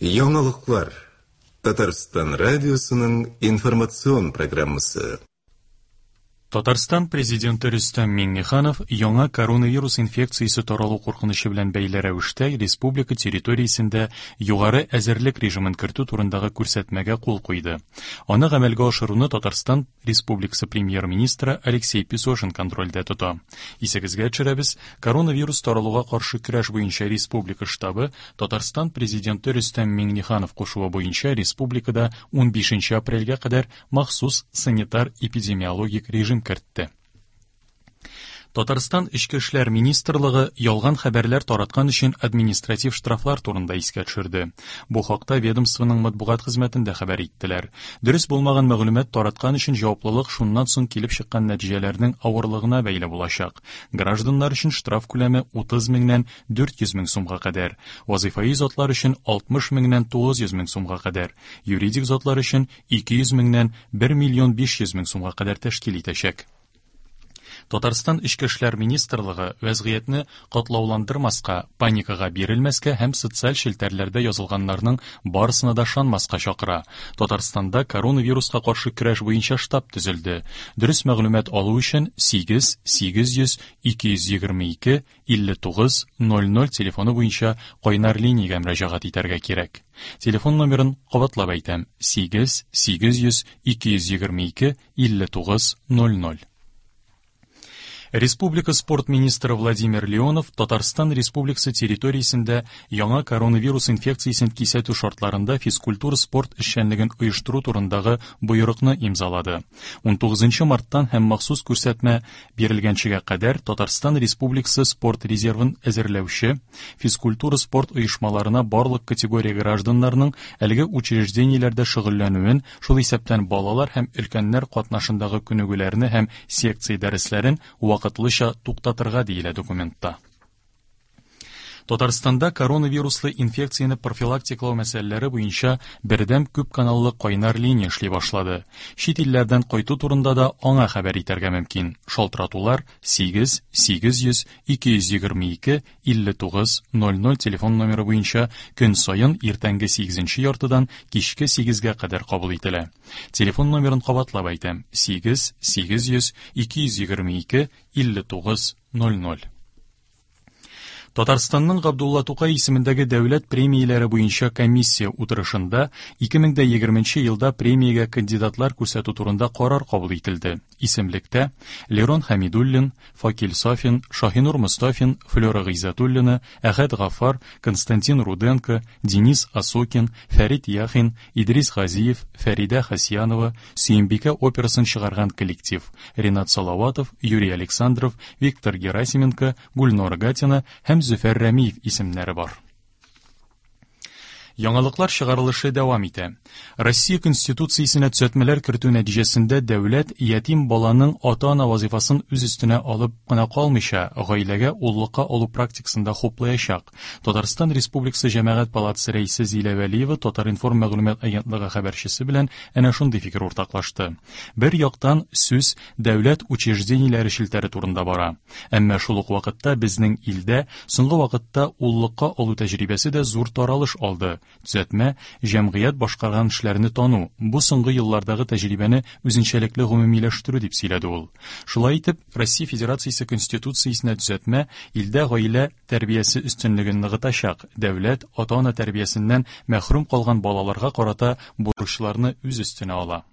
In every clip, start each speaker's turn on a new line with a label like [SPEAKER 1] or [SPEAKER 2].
[SPEAKER 1] Яңалыклар. Татарстан радиосының информацион программасы.
[SPEAKER 2] Татарстан Президенты Рөстәм Миңнеханов яңа коронавирус инфекциясе таралу куркынычы белән бәйле рәвештә республика территориясендә югары әзерлек режимын кертү турындагы күрсәтмәгә кул куйды. Аны гамәлгә ашыруны Татарстан Республикасы Премьер-министры Алексей Песошин контрольдә тота. Исегезгә төшерәбез, коронавирус таралуга каршы көрәш буенча республика штабы Татарстан Президенты Рөстәм Миңнеханов кушуы буенча республикада 15 апрельгә кадәр махсус санитар-эпидемиологик режим кертте. Татарстан Эчке эшләр министрлыгы ялган хәбәрләр тараткан өчен административ штрафлар турында искә төшерде. Бу хакта ведомствоның матбугат хезмәтендә хәбәр иттеләр. Дөрес булмаган мәгълүмат тараткан өчен җаваплылык шуннан соң килеп чыккан нәтиҗәләрнең авырлыгына бәйле булачак. Гражданнар өчен штраф күләме 30 меңнән 400 мең сумга кадәр, вазыйфаи затлар өчен 60 меңнән 900 мең сумга кадәр, юридик затлар өчен 200 меңнән 1 миллион 500 мең сумга кадәр тәшкил итәчәк. Татарстан Эчке эшләр министрлыгы вәзгыятьне катлауландырмаска, паникага бирелмәскә һәм социаль челтәрләрдә язылганнарның барысына да ышанмаска чакыра. Татарстанда коронавируска каршы көрәш буенча штаб төзелде. Дөрес мәгълүмат алу өчен 8 800 222 59 00 телефоны буенча кайнар линиягә мөрәҗәгать итәргә кирәк. Телефон номерын кабатлап әйтәм: 8 800 222 59 00. Республика спорт министры Владимир Леонов Татарстан Республикасы территориясендә яңа коронавирус инфекциясен кисәтү шартларында физкультура-спорт эшчәнлеген оештыру турындагы боерыкны имзалады. 19 марттан һәм махсус күрсәтмә бирелгәнчегә кадәр Татарстан Республикасы спорт резервын әзерләүче физкультура-спорт оешмаларына барлык категория гражданнарның әлеге учреждениеләрдә шөгыльләнүен, шул исәптән балалар һәм өлкәннәр катнашындагы күнегүләрне һәм секция дәресләрен вакытлыча туктатырга диелә документта. Татарстанда коронавируслы инфекцияне профилактикалау мәсьәләләре буенча бердәм күпканаллы кайнар линия эшли башлады. Чит илләрдән кайту турында да аңа хәбәр итәргә мөмкин. Шалтыратулар 8 800 222 59 00 телефон номеры буенча көн саен иртәнге 8 яртыдан кичке 8-гә кадәр кабул ителә. Телефон номерын кабатлап әйтәм: 8 800 222 59 00. Татарстанның Габдулла Тукай исемендәге дәүләт премияләре буенча комиссия утырышында 2020 елда премиягә кандидатлар күрсәтү турында карар кабул ителде. Исемлектә Лерон Хәмидуллин, Факил Сафин, Шаһинур Мостафин, Флера Гыйззәтуллина, Әхәт Гафар, Константин Руденко, Денис Осокин, Фәрит Яхин, Идрис Газиев, Фәридә Хасьянова, Сөембикә операсын чыгарган коллектив, Ренат Салаватов, Юрий Александров, Виктор Герасименко, Гульнора Гатина һәм Зөфәр Рәмиев исемнәре бар. Яңалыклар чыгарылышы дәвам итә. Россия Конституциясенә төзәтмәләр кертү нәтиҗәсендә дәүләт ятим баланың ата-ана вазифасын үз өстенә алып кына калмыйча, гаиләгә уллыкка алу практикасын да хуплаячак. Татарстан Республикасы Җәмәгать палатасы рәисе Зилә Вәлиева Татар-информ мәгълүмат агентлыгы хәбәрчесе белән әнә шундый фикер уртаклашты. Бер яктан, сүз дәүләт учреждениеләре челтәре турында бара. Әмма шул ук вакытта безнең илдә соңгы вакытта уллыкка алу тәҗрибәсе дә зур таралыш алды. Төзәтмә, җәмгыять башкарган эшләрне тану, бу соңгы еллардагы тәҗрибәне үзенчәлекле гомумиләштерү, дип сөйләде ул. Шулай итеп, Россия Федерациясе Конституциясенә төзәтмә илдә гаилә тәрбиясе өстенлеген ныгытачак, дәүләт ата-ана тәрбиясеннән мәхрүм калган балаларга карата бурычларны үз өстенә ала.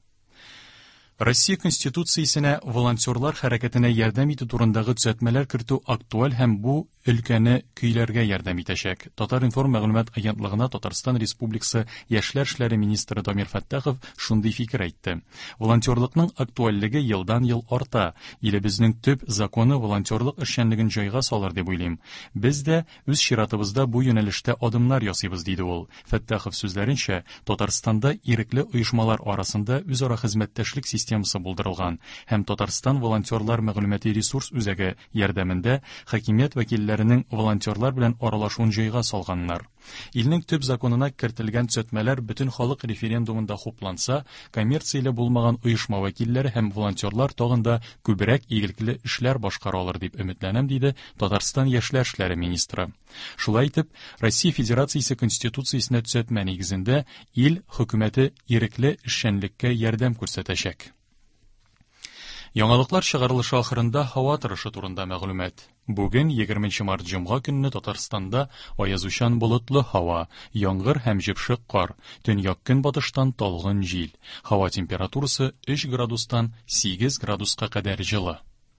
[SPEAKER 2] Россия Конституциясенә волонтерлар хәрәкәтенә ярдәм итү турындагы төзәтмәләр кертү актуаль һәм бу өлкәне көйләргә ярдәм итәчәк. Татар-информ мәгълүмат агентлыгына Татарстан Республикасы Яшьләр эшләре министры Дамир Фәттахов шундый фикер әйтте. Волонтерлыкның актуальлеге елдан-ел арта. Илебезнең төп законы волонтерлык эшчәнлеген җайга салыр дип уйлыйм. Без дә үз чиратыбызда бу юнәлештә адымнар ясыйбыз, диде ул. Фәттахов сүзләренчә, Татарстанда ирекле оешмалар арасында үзара хезмәттәшлек системасы системасы булдырылган һәм Татарстан волонтерлар мәгълүмати ресурс үзәге ярдәмендә хакимият вәкилләренең волонтерлар белән аралашуын җайга салганнар. Илнең төп законына кертелгән төзәтмәләр бөтен халык референдумында хупланса, коммерцияле булмаган оешма вәкилләре һәм волонтерлар тагын да күбрәк игелекле эшләр башкара алыр дип өметләнәм, диде Татарстан яшьләр эшләре министры. Шулай итеп, Россия Федерациясе Конституциясенә төзәтмә нигезендә ил хөкүмәте ирекле эшчәнлеккә ярдәм күрсәтәчәк. Яңалыклар чыгарылышы ахырында һава торышы турында мәгълүмат. Бүген 20 март җомга көнне Татарстанда аязучан болытлы һава, яңгыр һәм җепшек кар,